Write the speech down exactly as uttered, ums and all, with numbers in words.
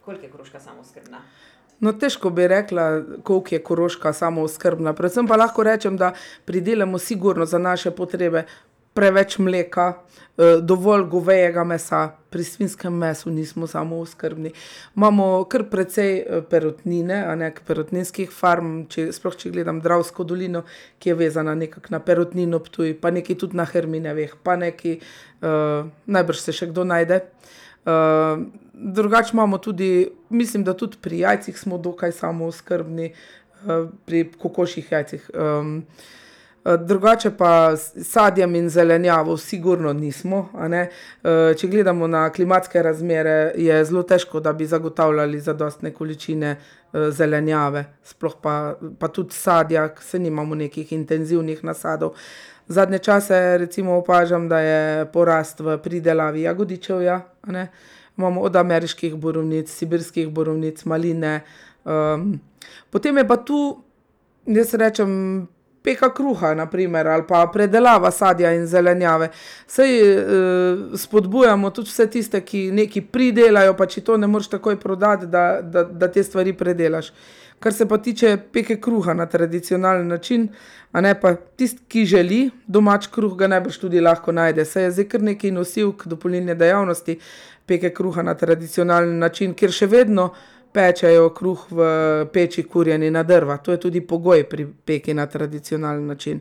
Koliko je Koroška samooskrbna? No, težko bi rekla, koliko je Koroška samooskrbna. Predvsem pa lahko rečem, da pridelamo sigurno za naše potrebe preveč mleka, dovolj govejega mesa, pri svinjskem mesu nismo samooskrbni. Imamo kar precej perutnine, a ne, perutninskih farm, če, sploh če gledam Dravsko dolino, ki je vezana nekako na Perutnino Ptuj, pa nekaj tudi na Herminjevih, pa nekaj, najbrž se še kdo najde. drugače imamo tudi, mislim, da tudi pri jajcih smo dokaj samooskrbni, pri kokošjih jajcih. drugače pa s sadjem in zelenjavo sigurno nismo, a ne. če gledamo na klimatske razmere, je zelo težko, da bi zagotavljali zadostne količine, zelenjave, sploh pa, pa tudi sadja, saj nimamo nekih intenzivnih nasadov. Zadnje čase recimo opažam, da je porast v pridelavi jagodičevja, a ne. Imamo od ameriških borovnic, sibirskih borovnic, maline, potem je pa tu, jaz rečem, peka kruha, na primer, ali pa predelava sadja in zelenjave. Saj, spodbujamo tudi vse tiste, ki nekaj pridelajo, pa če to ne moreš takoj prodati, da, da, da te stvari predelaš. Kar se pa tiče peke kruha na tradicionalen način, a ne, pa tisti, ki želi domač kruh, ga najbrž tudi lahko najde, saj je zdaj kar nekaj nosilk dopolnilne dejavnosti peke kruha na tradicionalen način, kjer še vedno pečejo kruh v peči, kurjeni na drva. To je tudi pogoj pri peki na tradicionalen način.